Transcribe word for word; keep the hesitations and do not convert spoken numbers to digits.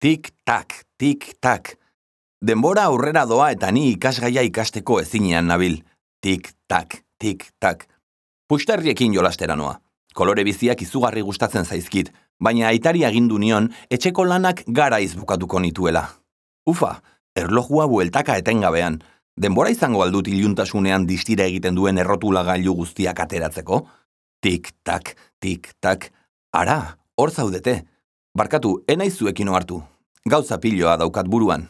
Tik-tak, tik-tak. Denbora aurrera doa eta ni ikasgaia ikasteko ezinean nabil. Tik-tak, tik-tak. Puxtarriekin jolastera noa. Kolore biziak izugarri gustatzen zaizkit, baina aitari agindu nion etxeko lanak garaiz bukatuko nituela. Ufa, erlojua bueltaka etengabean. Denbora izango aldut iluntasunean distira egiten duen errotulagailu guztiak ateratzeko? Tik-tak, tik-tak. Ara, hor zaudete. Barkatu, enaiz zuekin ohartu. Gauza piloa daukat buruan.